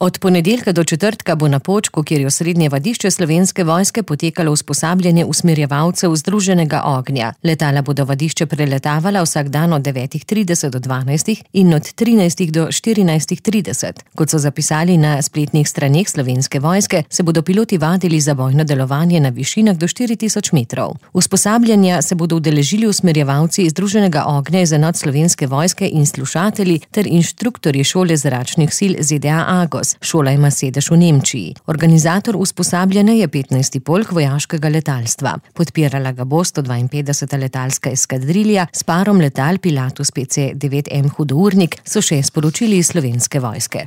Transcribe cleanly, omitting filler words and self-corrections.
Od ponedeljka do četrtka bo na Počku, kjer je osrednje vadišče Slovenske vojske, potekalo usposabljanje usmerjevalcev Združenega ognja. Letala bodo vadišče preletavala vsak dan od 9:30 do 12 in od 13 do 14:30. Kot so zapisali na spletnih straneh Slovenske vojske, se bodo piloti vadili za bojno delovanje na višinah do 4000 metrov. Usposabljanja se bodo udeležili usmerjevalci Združenega ognja iz enot Slovenske vojske in slušatelji ter inštruktorji šole zračnih sil ZDA Agos. Šola ima sedež v Nemčiji. Organizator usposabljanja je 15. polk vojaškega letalstva. Podpirala ga bo 152. letalska eskadrilja s parom letal Pilatus PC-9M Hudournik, so še sporočili iz Slovenske vojske.